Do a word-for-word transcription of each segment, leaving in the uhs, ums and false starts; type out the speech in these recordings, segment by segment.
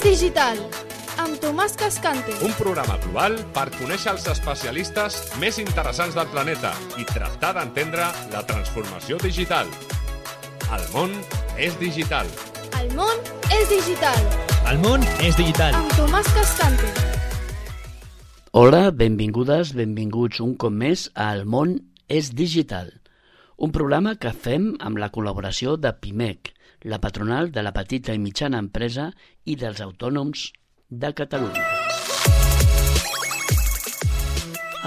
digital, amb Tomàs Cascante. Un programa global per conèixer els especialistes més interessants del planeta i tractar d'entendre la transformació digital. El món és digital. El món és digital. El món és digital. Amb Tomàs Cascante. Hola, benvingudes, benvinguts un cop més a El món és digital, un programa que fem amb la col·laboració de PIMEC, la patronal de la petita i mitjana empresa i dels autònoms de Catalunya.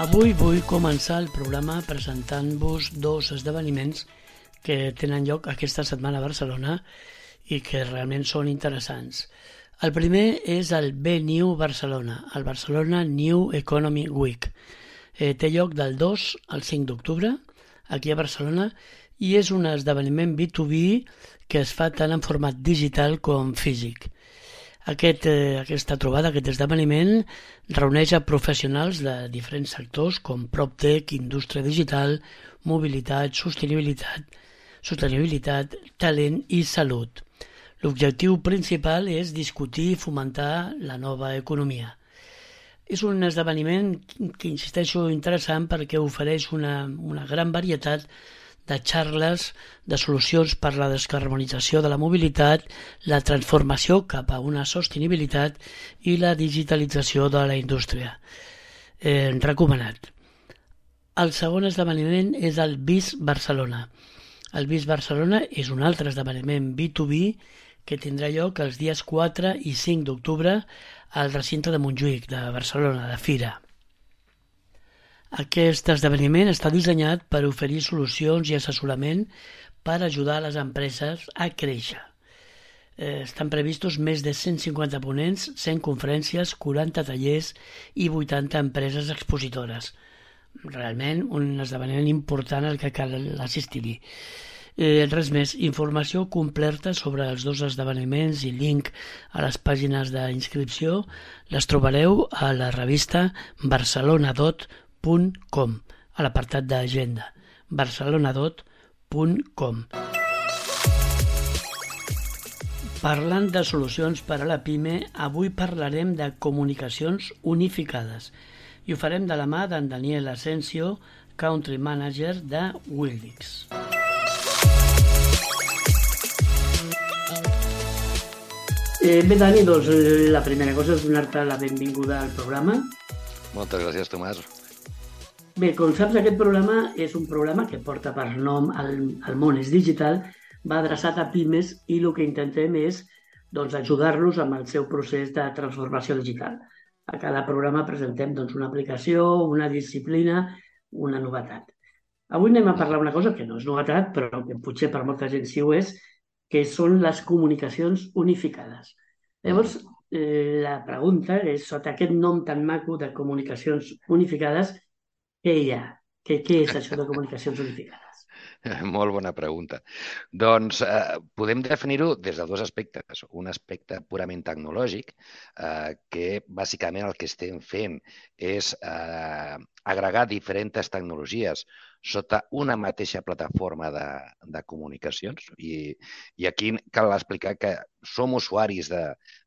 Avui vull començar el programa presentant-vos dos esdeveniments que tenen lloc aquesta setmana a Barcelona i que realment són interessants. El primer és el B-New Barcelona, el Barcelona New Economy Week. Eh, té lloc del dos al cinc d'octubre, aquí a Barcelona, i és un esdeveniment B dos B que es fa tant en format digital com físic. Aquest, eh, aquesta trobada, aquest esdeveniment, reuneix a professionals de diferents sectors com PropTech, indústria digital, mobilitat, sostenibilitat, sostenibilitat, talent i salut. L'objectiu principal és discutir i fomentar la nova economia. És un esdeveniment que, insisteixo, interessant perquè ofereix una, una gran varietat de xarles, de solucions per a la descarbonització de la mobilitat, la transformació cap a una sostenibilitat i la digitalització de la indústria. Eh, recomanat. El segon esdeveniment és el B I S Barcelona. El B I S Barcelona és un altre esdeveniment B dos B que tindrà lloc els dies quatre i cinc d'octubre al recinte de Montjuïc, de Barcelona, de Fira. Aquest esdeveniment està dissenyat per oferir solucions i assessorament per ajudar les empreses a créixer. Eh, estan previstos més de cent cinquanta ponents, cent conferències, quaranta tallers i vuitanta empreses expositores. Realment un esdeveniment important al que cal assistir-hi. Eh, res més, informació completa sobre els dos esdeveniments i link a les pàgines d'inscripció les trobareu a la revista barcelonadot punt com, a l'apartat d'agenda, barcelonadot punt com. Parlant de solucions per a la PIME, avui parlarem de comunicacions unificades i ho farem de la mà d'en Daniel Asensio, Country Manager de Wildix. Eh, bé, Dani, doncs la primera cosa és donar-te la benvinguda al programa. Moltes gràcies, Tomàs. Bé, com saps, aquest programa és un programa que porta per nom El, el món és digital, va adreçat a pimes i el que intentem és doncs, ajudar-los amb el seu procés de transformació digital. A cada programa presentem doncs, una aplicació, una disciplina, una novetat. Avui anem a parlar una cosa que no és novetat, però que potser per molta gent sí ho és, que són les comunicacions unificades. Llavors, eh, la pregunta és, sota aquest nom tan maco de comunicacions unificades, què hi ha? Què, què és això de comunicacions unificades? Molt bona pregunta. Doncs eh, podem definir-ho des de dos aspectes. Un aspecte purament tecnològic, eh, que bàsicament el que estem fent és eh, agregar diferents tecnologies sota una mateixa plataforma de, de comunicacions. I, I aquí cal explicar que som usuaris de,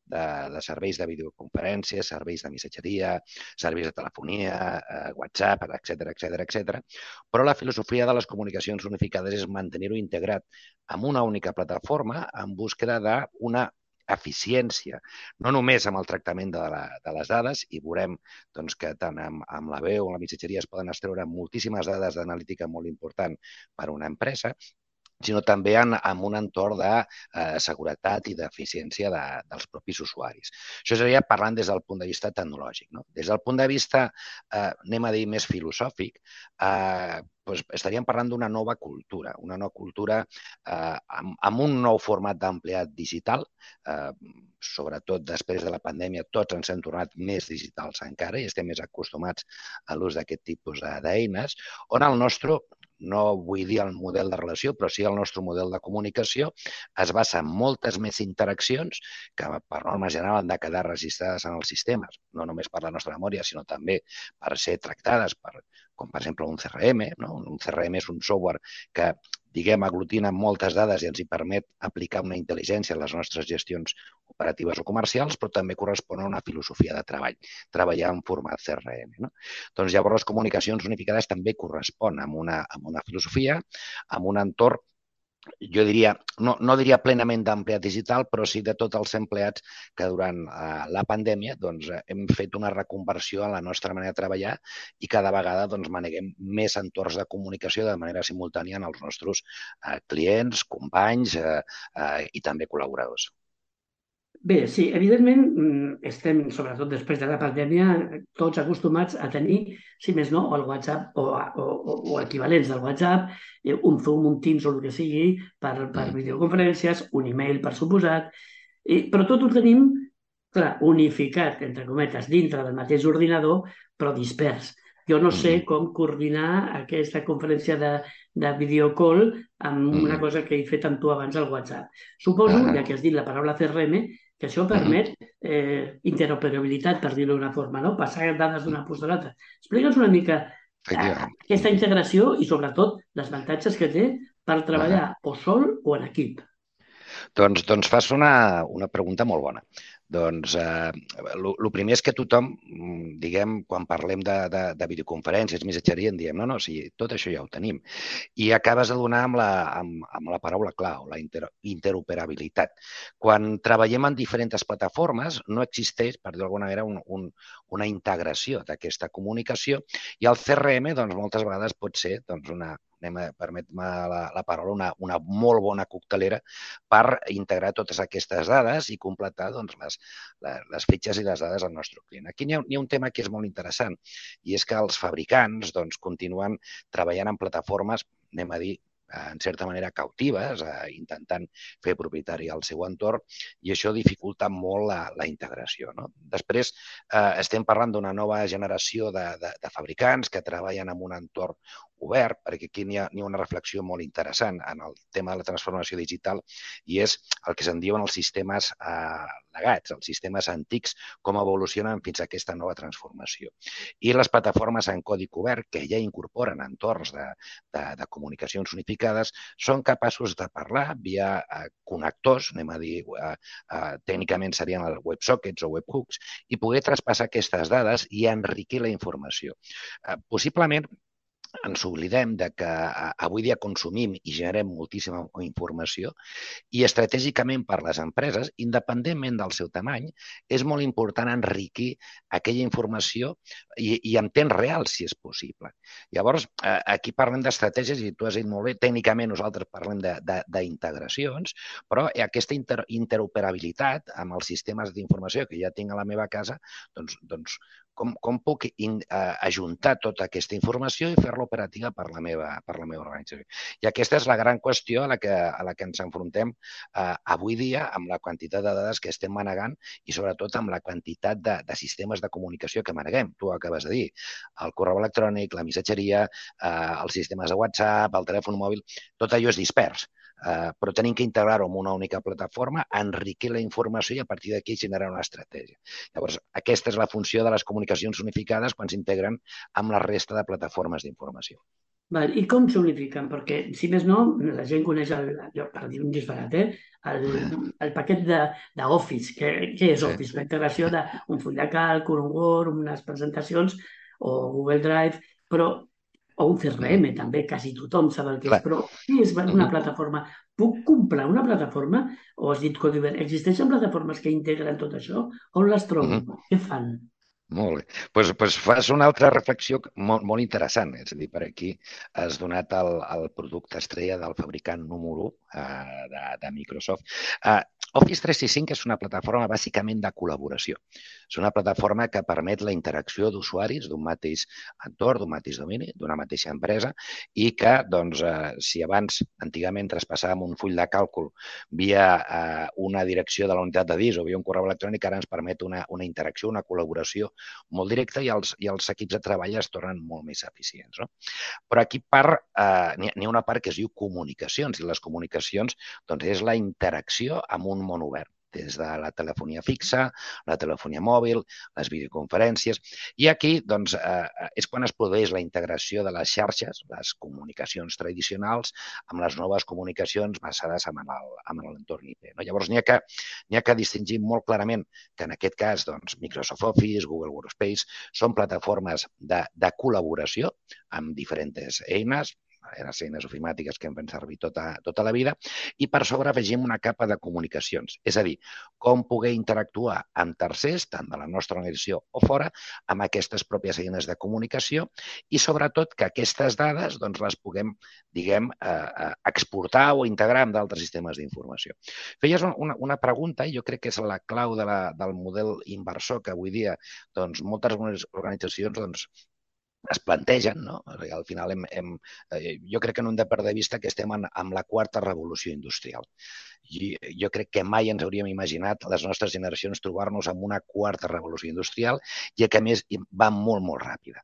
de, de serveis de videoconferències, serveis de missatgeria, serveis de telefonia, eh, WhatsApp, etcètera, etcètera, etcètera. Però la filosofia de les comunicacions unificades és mantenir-ho integrat en una única plataforma en búsqueda d'una eficiència, no només amb el tractament de, la, de les dades, i veurem doncs, que tant amb, amb la veu o la missatgeria es poden extreure moltíssimes dades d'analítica molt important per a una empresa, sinó també en, en un entorn de eh, seguretat i d'eficiència de, dels propis usuaris. Això seria parlant des del punt de vista tecnològic. No? Des del punt de vista, eh, anem a dir, més filosòfic, eh, doncs estaríem parlant d'una nova cultura, una nova cultura eh, amb, amb un nou format d'empleat digital, eh, sobretot després de la pandèmia tots ens hem tornat més digitals encara i estem més acostumats a l'ús d'aquest tipus d'eines, on el nostre, no vull dir el model de relació, però sí el nostre model de comunicació es basa en moltes més interaccions que per norma general han de quedar registrades en els sistemes, no només per la nostra memòria, sinó també per ser tractades per, com per exemple un C R M. No? Un C R M és un software que diguem, aglutina moltes dades i ens hi permet aplicar una intel·ligència en les nostres gestions operatives o comercials, però també correspon a una filosofia de treball, treballar en format C R M. No? Doncs llavors les comunicacions unificades també corresponen amb una, amb una filosofia, amb un entorn, jo diria, no, no diria plenament d'empleat digital, però sí de tots els empleats que durant eh, la pandèmia doncs, hem fet una reconversió en la nostra manera de treballar i cada vegada doncs, maneguem més entorns de comunicació de manera simultània en els nostres eh, clients, companys eh, eh, i també col·laboradors. Bé, sí, evidentment estem, sobretot després de la pandèmia, tots acostumats a tenir, si més no, el WhatsApp o, o, o equivalents del WhatsApp, un Zoom, un Teams o el que sigui, per, per videoconferències, un email, per suposat, i, però tot ho tenim, clar, unificat, entre cometes, dintre del mateix ordinador, però dispers. Jo no sé com coordinar aquesta conferència de, de videocall amb una cosa que he fet amb tu abans al WhatsApp. Suposo, ja que has dit la paraula C R M, que això permet eh, interoperabilitat, per dir-ho d'una forma, no? Passar dades d'una posta a l'altra. Explica'ns una mica eh, aquesta integració i, sobretot, els avantatges que té per treballar o sol o en equip. Doncs, doncs fas una, una pregunta molt bona. Doncs el eh, primer és que tothom, diguem, quan parlem de, de, de videoconferències, missatgeria, en diem, no, no, sí, tot això ja ho tenim. I acabes de donar amb la, amb, amb la paraula clau, la inter, interoperabilitat. Quan treballem en diferents plataformes, no existeix, per dir d'alguna manera, un, un, una integració d'aquesta comunicació i el C R M, doncs, moltes vegades pot ser doncs, una permet-me la, la paraula, una, una molt bona coctelera per integrar totes aquestes dades i completar doncs, les, les, les fitxes i les dades del nostre client. Aquí hi ha, hi ha un tema que és molt interessant i és que els fabricants doncs, continuen treballant en plataformes, anem a dir, en certa manera cautives, eh, intentant fer propietari al seu entorn i això dificulta molt la, la integració. No? Després eh, estem parlant d'una nova generació de, de, de fabricants que treballen en un entorn obert, perquè aquí n'hi ha, ha una reflexió molt interessant en el tema de la transformació digital i és el que se'n diuen els sistemes eh, legats, els sistemes antics, com evolucionen fins a aquesta nova transformació. I les plataformes en codi obert, que ja incorporen entorns de, de, de comunicacions unificades, són capaços de parlar via eh, connectors, anem a dir, eh, eh, tècnicament serien els websockets o webhooks, i poder traspassar aquestes dades i enriquir la informació. Eh, possiblement, ens oblidem de que avui dia consumim i generem moltíssima informació i estratègicament per les empreses, independentment del seu tamany, és molt important enriquir aquella informació i, i en temps real, si és possible. Llavors, aquí parlem d'estratègies i tu has dit molt bé, tècnicament nosaltres parlem d'integracions, però aquesta inter interoperabilitat amb els sistemes d'informació que ja tinc a la meva casa, doncs, doncs com, com puc in, uh, ajuntar tota aquesta informació i fer-la operativa per la meva, per la meva organització. I aquesta és la gran qüestió a la que, a la que ens enfrontem uh, avui dia amb la quantitat de dades que estem manegant i sobretot amb la quantitat de, de sistemes de comunicació que maneguem. Tu ho acabes de dir, el correu electrònic, la missatgeria, uh, els sistemes de WhatsApp, el telèfon mòbil, tot allò és dispers. Uh, però tenim que integrar-ho en una única plataforma, enriquir la informació i a partir d'aquí generar una estratègia. Llavors, aquesta és la funció de les comunicacions unificades quan s'integren amb la resta de plataformes d'informació. Val, I com s'unifiquen? Perquè, si més no, la gent coneix, el, per dir un disbarat, eh? el, el paquet d'Office. Què, què és Office? La integració d'un full de càlcul, un Word, unes presentacions o Google Drive, però o un C R M, també, quasi tothom sap el que és, però què és una plataforma? Puc comprar una plataforma? O has dit codi obert? Existeixen plataformes que integren tot això? On les trobo? Uh-huh. Què fan? Molt bé. Doncs pues, pues fas una altra reflexió molt, molt interessant. És a dir, per aquí has donat el, el producte estrella del fabricant número u uh, de, de Microsoft. Uh, Office tres sis cinc és una plataforma bàsicament de col·laboració. És una plataforma que permet la interacció d'usuaris d'un mateix entorn, d'un mateix domini, d'una mateixa empresa i que, doncs, eh, si abans, antigament, traspassàvem un full de càlcul via eh, una direcció de la unitat de disc o via un correu electrònic, ara ens permet una, una interacció, una col·laboració molt directa i els, i els equips de treball es tornen molt més eficients. No? Però aquí part, eh, n'hi ha una part que es diu comunicacions i les comunicacions doncs, és la interacció amb un món obert. des de la telefonia fixa, la telefonia mòbil, les videoconferències. I aquí doncs, eh, és quan es produeix la integració de les xarxes, les comunicacions tradicionals, amb les noves comunicacions basades en l'entorn I T. No? Llavors, n'hi ha, que, n'hi ha que distingir molt clarament que en aquest cas doncs, Microsoft Office, Google Workspace, són plataformes de, de col·laboració amb diferents eines, les eines ofimàtiques que hem fet servir tota, tota la vida, i per sobre afegim una capa de comunicacions. És a dir, com poder interactuar amb tercers, tant de la nostra organització o fora, amb aquestes pròpies eines de comunicació i, sobretot, que aquestes dades doncs, les puguem, diguem, eh, exportar o integrar amb d'altres sistemes d'informació. Feies una, una pregunta, i jo crec que és la clau de la, del model inversor que avui dia doncs, moltes organitzacions doncs, es plantegen, no? Al final hem, hem, jo crec que no hem de perdre de vista que estem en, en la quarta revolució industrial. I jo crec que mai ens hauríem imaginat les nostres generacions trobar-nos en una quarta revolució industrial i que a més va molt, molt ràpida.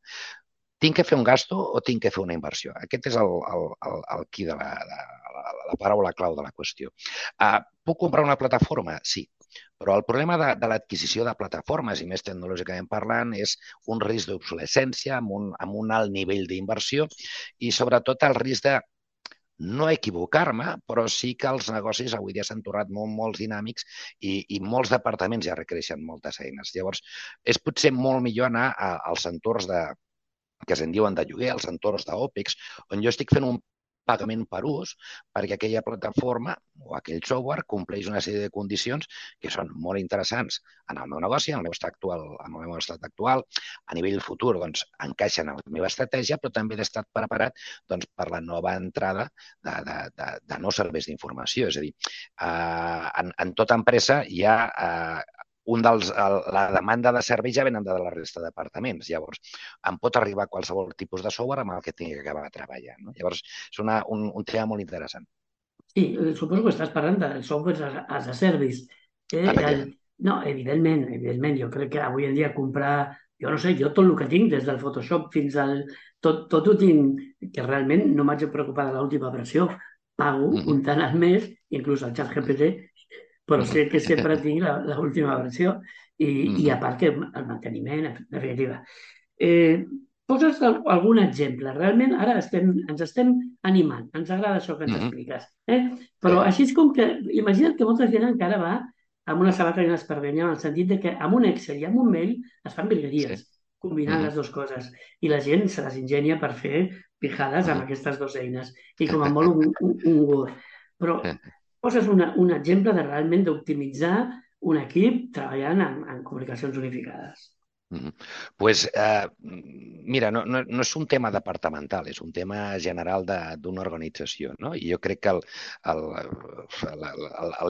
Tinc que fer un gasto o tinc que fer una inversió? Aquest és el, el, el, el qui de la, de la, la paraula clau de la qüestió. Uh, puc comprar una plataforma? Sí. Però el problema de, de l'adquisició de plataformes, i més tecnològicament parlant, és un risc d'obsolescència amb, un, amb un alt nivell d'inversió i, sobretot, el risc de no equivocar-me, però sí que els negocis avui dia s'han tornat molt, molt dinàmics i, i molts departaments ja requereixen moltes eines. Llavors, és potser molt millor anar a, als entorns de, que se'n diuen de lloguer, als entorns d'OPEX, on jo estic fent un pagament per ús, perquè aquella plataforma o aquell software compleix una sèrie de condicions que són molt interessants en el meu negoci, en el meu estat actual, en el meu estat actual, a nivell futur doncs, encaixen en la meva estratègia, però també he d'estar preparat doncs, per la nova entrada de, de, de, de nous serveis d'informació. És a dir, eh, en, en tota empresa hi ha eh, un dels, la demanda de serveis ja venen de la resta de departaments. Llavors, em pot arribar qualsevol tipus de software amb el que tingui que acabar treballant. No? Llavors, és una, un, un tema molt interessant. Sí, suposo que estàs parlant de software as a service. Eh, el, no, evidentment, evidentment. Jo crec que avui en dia comprar, jo no sé, jo tot el que tinc, des del Photoshop fins al... Tot, tot ho tinc, que realment no m'haig de preocupar de l'última versió. Pago mm-hmm. un tant al mes, inclús el ChatGPT, però sé que sempre tinc l'última versió i, mm. i a part que el manteniment, en definitiva. Eh, poses algun exemple. Realment ara estem, ens estem animant. Ens agrada això que ens mm-hmm. expliques. Eh? Però així és com que... Imagina't que molta gent encara va amb una sabata i una esparvenya en el sentit de que amb un Excel i amb un mail es fan virgueries, sí. combinant mm-hmm. les dues coses. I la gent se les ingenia per fer pijades mm-hmm. amb aquestes dues eines. I com a molt un, un, un Word. Però... poses una, un exemple de realment d'optimitzar un equip treballant en, en comunicacions unificades. Mm-hmm. Pues, eh, mira, no, no, no és un tema departamental, és un tema general d'una organització. No? I jo crec que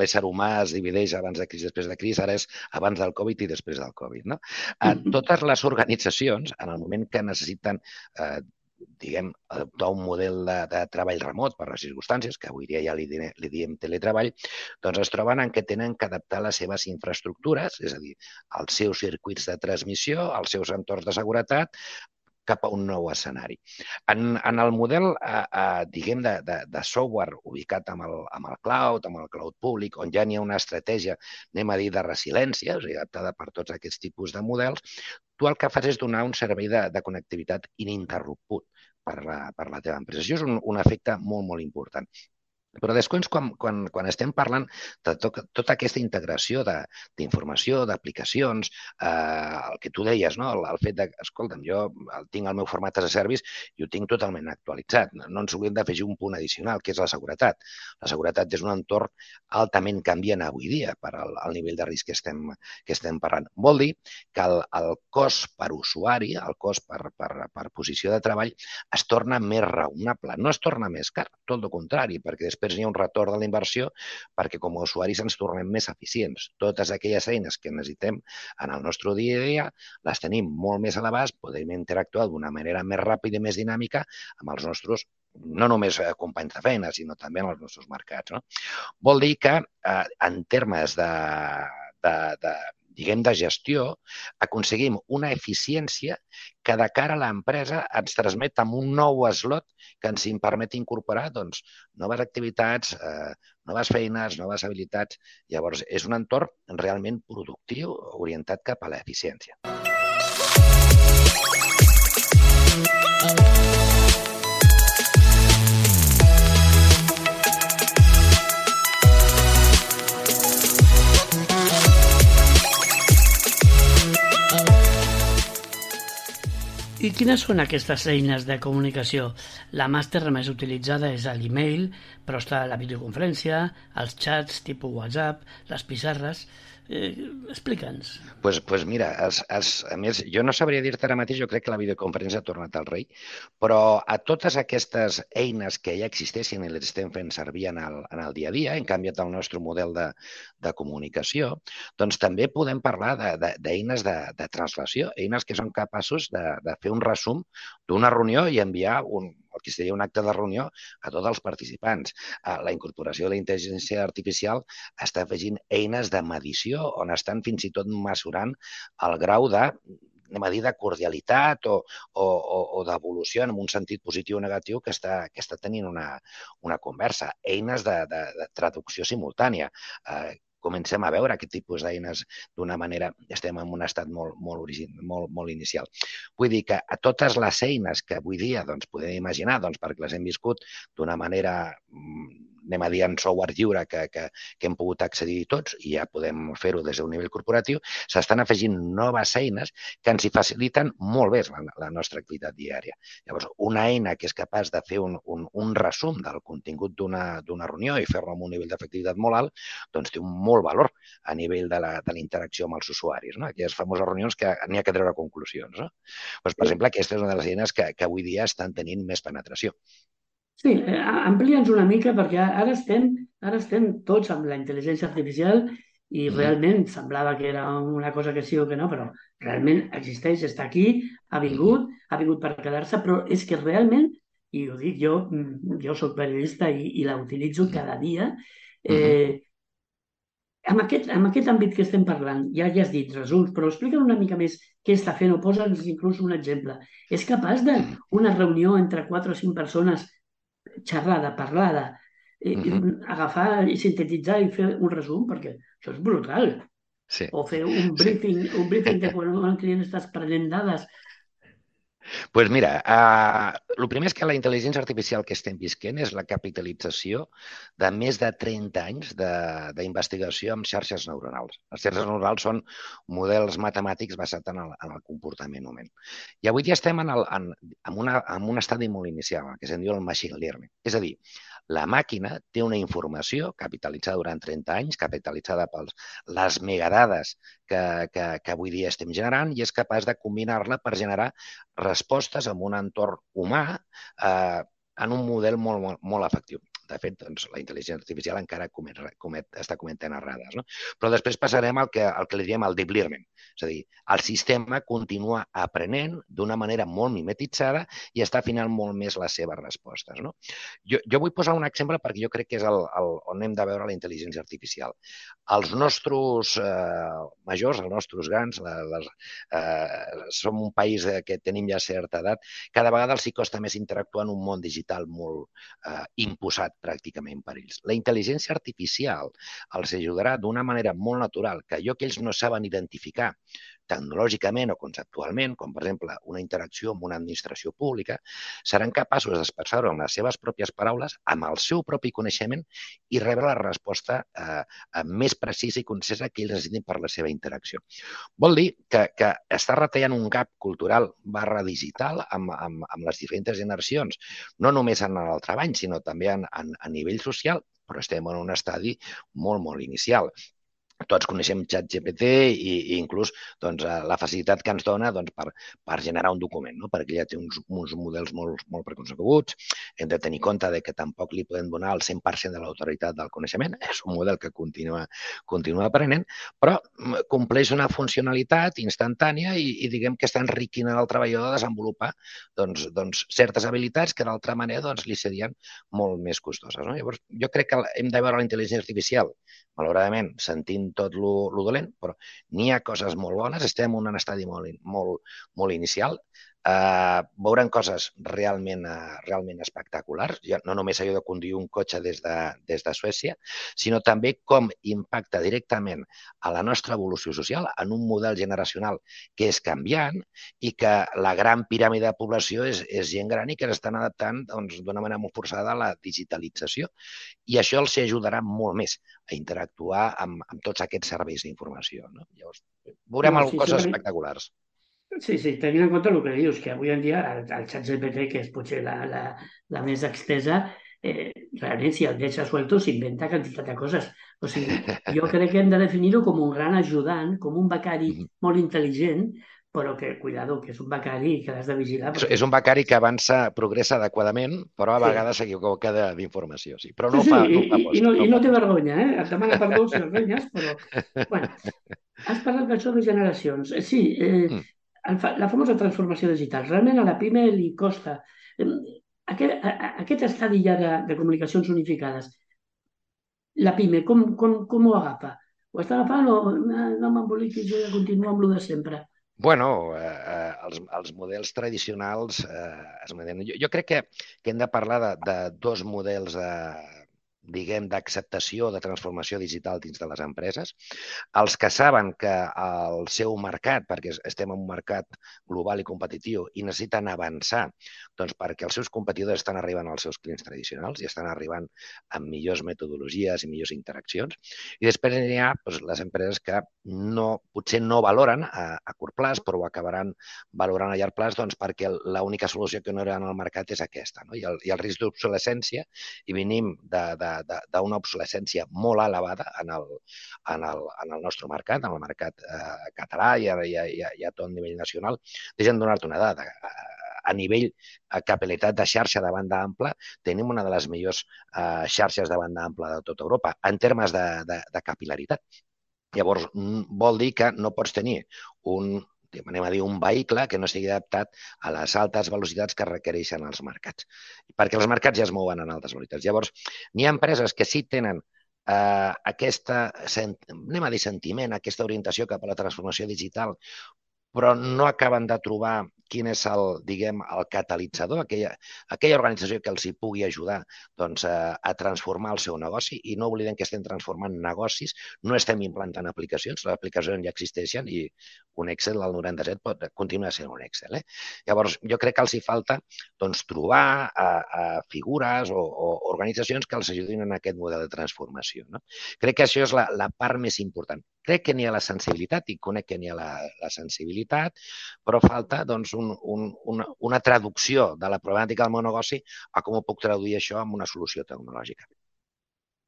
l'ésser humà es divideix abans de crisi, després de crisi, ara és abans del Covid i després del Covid. No? Eh, totes les organitzacions, en el moment que necessiten eh, diguem, adoptar un model de, de treball remot per les circumstàncies, que avui dia ja li, li diem teletreball, doncs es troben en què tenen que adaptar les seves infraestructures, és a dir, els seus circuits de transmissió, els seus entorns de seguretat, cap a un nou escenari. En, en el model, eh, eh, diguem, de, de, de software ubicat amb el, amb el cloud, amb el cloud públic, on ja n'hi ha una estratègia, anem a dir, de resiliència, o sigui, adaptada per tots aquests tipus de models, tu el que fas és donar un servei de, de connectivitat ininterromput per la, per la teva empresa. Això és un, un efecte molt, molt important. Però després, quan, quan, quan estem parlant de tot, tota aquesta integració d'informació, d'aplicacions, eh, el que tu deies, no? el, el fet de, escolta'm, jo el tinc al meu format as a service i ho tinc totalment actualitzat. No ens hauríem d'afegir un punt addicional, que és la seguretat. La seguretat és un entorn altament canviant avui dia per al, al nivell de risc que estem, que estem parlant. Vol dir que el, el cost per usuari, el cost per, per, per posició de treball, es torna més raonable. No es torna més car, tot el contrari, perquè després Després hi ha un retorn de la inversió perquè com a usuaris ens tornem més eficients. Totes aquelles eines que necessitem en el nostre dia a dia les tenim molt més a l'abast, podem interactuar d'una manera més ràpida i més dinàmica amb els nostres, no només companys de feina, sinó també en els nostres mercats. No? Vol dir que eh, en termes de, de, de diguem, de gestió, aconseguim una eficiència que de cara a l'empresa ens transmet amb un nou slot que ens permet incorporar doncs, noves activitats, eh, noves feines, noves habilitats. Llavors, és un entorn realment productiu orientat cap a l'eficiència. I quines són aquestes eines de comunicació? La màster més utilitzada és l'email, però està la videoconferència, els xats tipus WhatsApp, les pissarres. Eh, Explica'ns. Doncs pues, pues mira, es, es, a més, jo no sabria dir-te ara mateix, jo crec que la videoconferència ha tornat al rei, però a totes aquestes eines que ja existeixen i les estem fent servir en el, en el dia a dia, hem canviat el nostre model de, de comunicació, doncs també podem parlar d'eines de, de, de translació, eines que són capaços de, de fer un resum d'una reunió i enviar un, el que seria un acte de reunió a tots els participants. La incorporació de la intel·ligència artificial està afegint eines de medició on estan fins i tot mesurant el grau de anem a dir, de cordialitat o, o, o d'evolució en un sentit positiu o negatiu que està, que està tenint una, una conversa. Eines de, de, de traducció simultània. Eh, comencem a veure aquest tipus d'eines d'una manera, estem en un estat molt, molt, origin, molt, molt inicial. Vull dir que a totes les eines que avui dia doncs, podem imaginar, doncs, perquè les hem viscut d'una manera, anem a dir, en software lliure que, que, que hem pogut accedir tots i ja podem fer-ho des d'un nivell corporatiu, s'estan afegint noves eines que ens hi faciliten molt bé la, la nostra activitat diària. Llavors, una eina que és capaç de fer un, un, un resum del contingut d'una reunió i fer-lo amb un nivell d'efectivitat molt alt, doncs té un molt valor a nivell de la, de la interacció amb els usuaris, no? Aquelles famoses reunions que n'hi ha que treure conclusions. No? Doncs, per exemple, aquesta és una de les eines que, que avui dia estan tenint més penetració. Sí, amplia'ns una mica perquè ara estem, ara estem tots amb la intel·ligència artificial i mm. realment semblava que era una cosa que sí o que no, però realment existeix, està aquí, ha vingut, mm. ha vingut per quedar-se, però és que realment, i ho dic jo, jo soc periodista i, i la utilitzo cada dia, eh, amb, aquest, amb aquest àmbit que estem parlant, ja, ja has dit resums, però explica una mica més què està fent o posa'ns inclús un exemple. És capaç d'una reunió entre quatre o cinc persones xerrada, parlada, eh, uh-huh. agafar i sintetitzar i fer un resum, perquè això és brutal. Sí. O fer un briefing, sí. un briefing de quan un client estàs prenent dades. Doncs pues mira, uh, el primer és que la intel·ligència artificial que estem visquent és la capitalització de més de trenta anys d'investigació amb xarxes neuronals. Les xarxes neuronals són models matemàtics basats en el, en el comportament humà. I avui dia estem en, el, en, en, una, en un estadi molt inicial, que se'n diu el machine learning. És a dir, la màquina té una informació capitalitzada durant trenta anys, capitalitzada per les megadades que, que, que avui dia estem generant i és capaç de combinar-la per generar respostes en un entorn humà eh, en un model molt, molt, molt efectiu. De fet, doncs, la intel·ligència artificial encara comet, comet, està cometent errades. No? Però després passarem al que, al que li diem el deep learning. És a dir, el sistema continua aprenent d'una manera molt mimetitzada i està afinant molt més les seves respostes. No? Jo, jo vull posar un exemple perquè jo crec que és el, el, on hem de veure la intel·ligència artificial. Els nostres eh, majors, els nostres grans, la, les, eh, som un país que tenim ja certa edat, cada vegada els hi costa més interactuar en un món digital molt eh, imposat pràcticament per ells. La intel·ligència artificial els ajudarà d'una manera molt natural, que allò que ells no saben identificar tecnològicament o conceptualment, com per exemple una interacció amb una administració pública, seran capaços d'expressar-ho amb les seves pròpies paraules, amb el seu propi coneixement i rebre la resposta eh, més precisa i concisa que ells necessitin per la seva interacció. Vol dir que, que està retallant un gap cultural barra digital amb, amb, amb les diferents generacions, no només en el treball, sinó també en, en, a nivell social, però estem en un estadi molt, molt inicial. Tots coneixem ChatGPT i, i inclús doncs, la facilitat que ens dona doncs, per, per generar un document, no? Perquè ja té uns, uns models molt, molt preconcebuts. Hem de tenir compte de que tampoc li podem donar el cent per cent de l'autoritat del coneixement. És un model que continua, continua aprenent, però compleix una funcionalitat instantània i, i diguem que està enriquint el treballador de desenvolupar doncs, doncs, certes habilitats que d'altra manera doncs, li serien molt més costoses. No? Llavors, jo crec que hem de veure la intel·ligència artificial, malauradament, sentint dient tot lo, lo dolent, però n'hi ha coses molt bones, estem en un estadi molt, molt, molt inicial. Uh, veurem coses realment, uh, realment espectaculars, ja no només allò de conduir un cotxe des de, des de Suècia, sinó també com impacta directament a la nostra evolució social en un model generacional que és canviant i que la gran piràmide de població és, és gent gran i que s'estan adaptant doncs, d'una manera molt forçada a la digitalització. I això els ajudarà molt més a interactuar amb, amb tots aquests serveis d'informació. No? Llavors, veurem No, sí, coses sí, espectaculars. Sí, sí, tenint en compte el que dius, que avui en dia el, el xat G P T, que és potser la, la, la més extesa, eh, realment si el deixa suelto s'inventa quantitat de coses. O sigui, jo crec que hem de definir-ho com un gran ajudant, com un becari molt intel·ligent, però que, cuidado, que és un becari que l'has de vigilar. Perquè... És un becari que avança, progressa adequadament, però a vegades s'equivoca sí. d'informació. Sí. Però no sí, sí, fa, no i, fa i, post, no, no i no fa té post. vergonya, eh? Et demana perdó si el renyes, però... Bueno, has parlat d'això de generacions. Sí, eh, Mm. la famosa transformació digital. Realment a la PIME li costa. Aquest, aquest estadi ja de, de comunicacions unificades, la PIME, com, com, com ho agafa? Ho està agafant o no, no m'emboliquis, jo ja continuo amb lo de sempre? Bueno, eh, els, els models tradicionals eh, es mantenen. Jo, jo crec que, que hem de parlar de, de dos models de, diguem, d'acceptació de transformació digital dins de les empreses. Els que saben que el seu mercat, perquè estem en un mercat global i competitiu i necessiten avançar, doncs perquè els seus competidors estan arribant als seus clients tradicionals i estan arribant amb millors metodologies i millors interaccions. I després hi ha doncs, les empreses que no, potser no valoren a, a curt plaç, però ho acabaran valorant a llarg plaç doncs, perquè l'única solució que no hi ha al mercat és aquesta. No? I, el, i el risc d'obsolescència, i venim de, de d'una obsolescència molt elevada en el, en el, en el nostre mercat, en el mercat eh, català i a, i, a, i a tot nivell nacional. Deixa'm donar-te una dada. A nivell de capil·laritat de xarxa de banda ampla, tenim una de les millors eh, xarxes de banda ampla de tota Europa, en termes de, de, de capil·laritat. Llavors, vol dir que no pots tenir un anem a dir, un vehicle que no estigui adaptat a les altes velocitats que requereixen els mercats. Perquè els mercats ja es mouen en altes velocitats. Llavors, n'hi ha empreses que sí tenen eh, aquesta, anem a dir, sentiment, aquesta orientació cap a la transformació digital, però no acaben de trobar quin és el, diguem, el catalitzador, aquella, aquella organització que els hi pugui ajudar doncs, a, a transformar el seu negoci. I no oblidem que estem transformant negocis, no estem implantant aplicacions, les aplicacions ja existeixen i un Excel al noranta-set pot continuar sent un Excel. Eh? Llavors, jo crec que els hi falta doncs, trobar a, a figures o, o organitzacions que els ajudin en aquest model de transformació. No? Crec que això és la, la part més important. Crec que n'hi ha la sensibilitat i conec que n'hi ha la, la sensibilitat, però falta doncs, un, un, una, una traducció de la problemàtica del meu negoci a com ho puc traduir això en una solució tecnològica.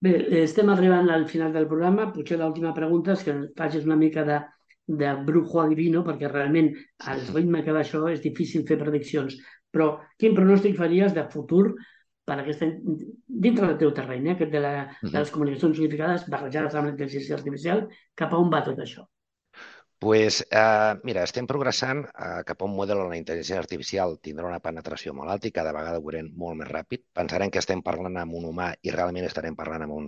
Bé, estem arribant al final del programa. Potser l'última pregunta és que facis una mica de, de brujo adivino, perquè realment al ritme que va això és difícil fer prediccions. Però quin pronòstic faries de futur per aquesta, dintre del teu terreny, eh, aquest de, la, de les comunicacions unificades barrejades amb la intel·ligència artificial, cap a on va tot això? Pues, eh, mira, estem progressant eh, cap a un model on la intel·ligència artificial tindrà una penetració molt alta i cada vegada ho veurem molt més ràpid. Pensarem que estem parlant amb un humà i realment estarem parlant amb un,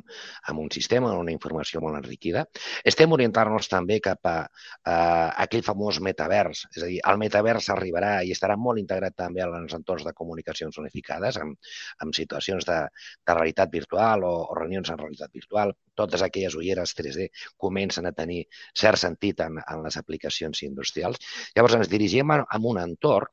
amb un sistema, amb una informació molt enriquida. Estem orientant-nos també cap a eh, aquell famós metavers, és a dir, el metavers arribarà i estarà molt integrat també als entorns de comunicacions unificades, amb, amb situacions de, de realitat virtual o, o reunions en realitat virtual. Totes aquelles ulleres tres D comencen a tenir cert sentit en, en les aplicacions industrials. Llavors ens dirigim a, a un entorn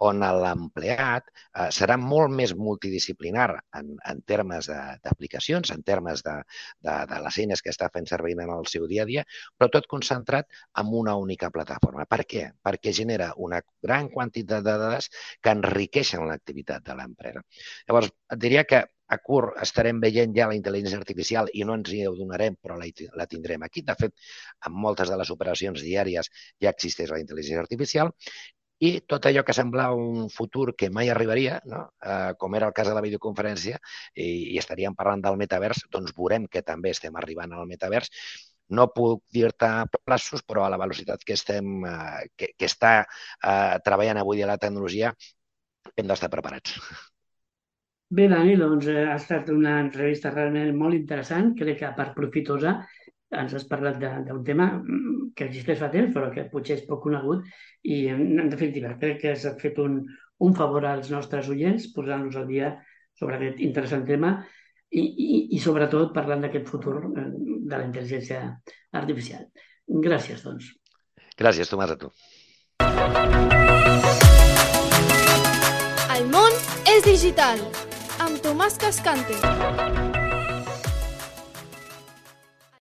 on l'empleat eh, serà molt més multidisciplinar en, en termes d'aplicacions, en termes de, de, de les eines que està fent servir en el seu dia a dia, però tot concentrat en una única plataforma. Per què? Perquè genera una gran quantitat de dades que enriqueixen l'activitat de l'empresa. Llavors, et diria que a curt estarem veient ja la intel·ligència artificial i no ens hi donarem, però la, la tindrem aquí. De fet, en moltes de les operacions diàries ja existeix la intel·ligència artificial i tot allò que semblava un futur que mai arribaria, no? eh, com era el cas de la videoconferència, i, i estaríem parlant del metavers, doncs veurem que també estem arribant al metavers. No puc dir-te plaços, però a la velocitat que, estem, eh, que, que està eh, treballant avui a la tecnologia hem d'estar preparats. Bé, Dani, doncs eh, ha estat una entrevista realment molt interessant, crec que a part profitosa, ens has parlat d'un tema que existeix fa temps, però que potser és poc conegut i, en definitiva, crec que has fet un, un favor als nostres oients posant-nos al dia sobre aquest interessant tema i, i, i sobretot parlant d'aquest futur de la intel·ligència artificial. Gràcies, doncs. Gràcies, Tomàs, a tu. El món és digital, amb Tomàs Cascante.